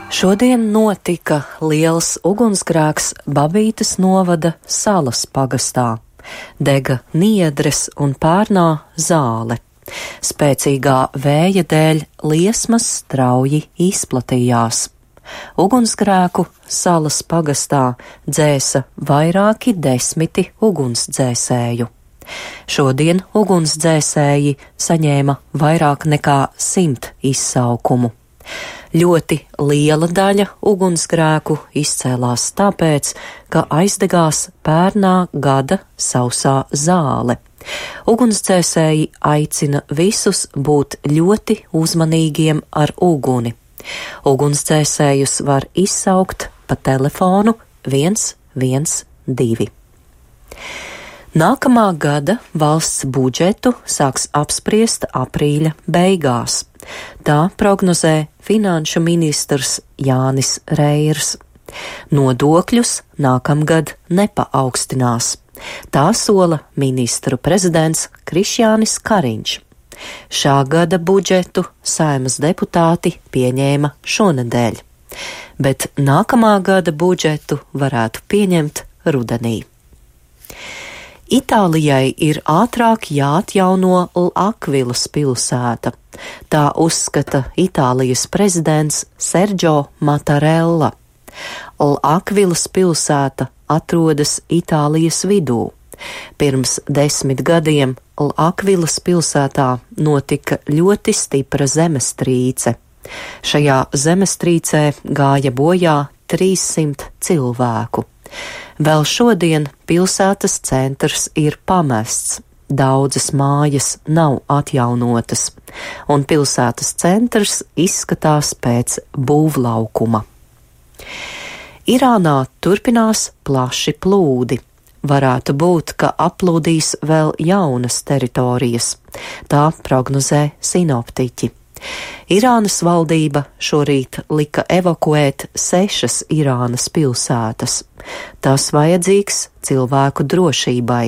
Šodien notika liels ugunsgrēks Babītes novada Salas pagastā. Dega niedres un pērnā zāle. Spēcīgā vēja dēļ liesmas strauji izplatījās. Ugunsgrēku Salas pagastā dzēsa vairāki desmiti ugunsdzēsēju. Šodien ugunsdzēsēji saņēma vairāk nekā 100 izsaukumu. Ļoti liela daļa ugunsgrēku izcēlās tāpēc, ka aizdegās pērnā gada sausā zāle. Ugunsdzēsēji aicina visus būt ļoti uzmanīgiem ar uguni. Ugunsdzēsējus var izsaukt pa telefonu 112. Nākamā gada valsts budžetu sāks apspriest aprīļa beigās. Tā prognozē finanšu ministrs Jānis Reirs. Nodokļus nākamgad nepaaugstinās. Tā sola ministru prezidents Krišjānis Kariņš. Šā gada budžetu Saeimas deputāti pieņēma šonedēļ, bet nākamā gada budžetu varētu pieņemt rudenī. Itālijai ir ātrāk jāatjauno L'Akvilas pilsēta. Tā uzskata Itālijas prezidents Sergio Mattarella. L'Akvilas pilsēta atrodas Itālijas vidū. Pirms 10 gadiem L'Akvilas pilsētā notika ļoti stipra zemestrīce. Šajā zemestrīcē gāja bojā 300 cilvēku. Vēl šodien pilsētas centrs ir pamests, daudzas mājas nav atjaunotas, un pilsētas centrs izskatās pēc būvlaukuma. Irānā turpinās plaši plūdi. Varētu būt, ka aplūdīs vēl jaunas teritorijas. Tā prognozē sinoptiķi. Irānas valdība šorīt lika evakuēt 6 Irānas pilsētas. Tas vajadzīgs cilvēku drošībai.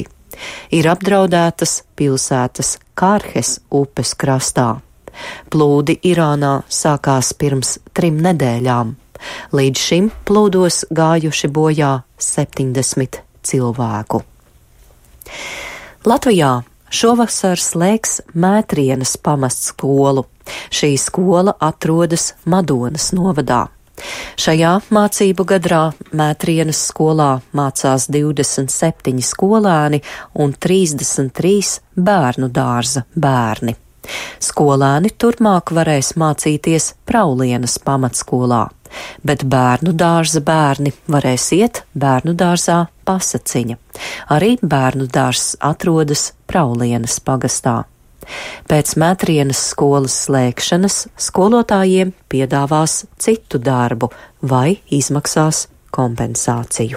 Ir apdraudētas pilsētas Kārhes upes krastā. Plūdi Irānā sākās pirms 3 nedēļām. Līdz šim plūdos gājuši bojā 70 cilvēku. Latvijā šovasar slēgs Mētrienes pamatskolu. Šī skola atrodas Madonas novadā. Šajā mācību gadā Mētrienes skolā mācās 27 skolēni un 33 bērnu dārza bērni. Skolēni turpmāk varēs mācīties Praulienas pamatskolā, bet bērnu dārza bērni varēs iet bērnu dārzā Pasaciņa. Arī bērnu dārzs atrodas Praulienas pagastā. Pēc Mētrienes skolas slēgšanas skolotājiem piedāvās citu darbu vai izmaksās kompensāciju.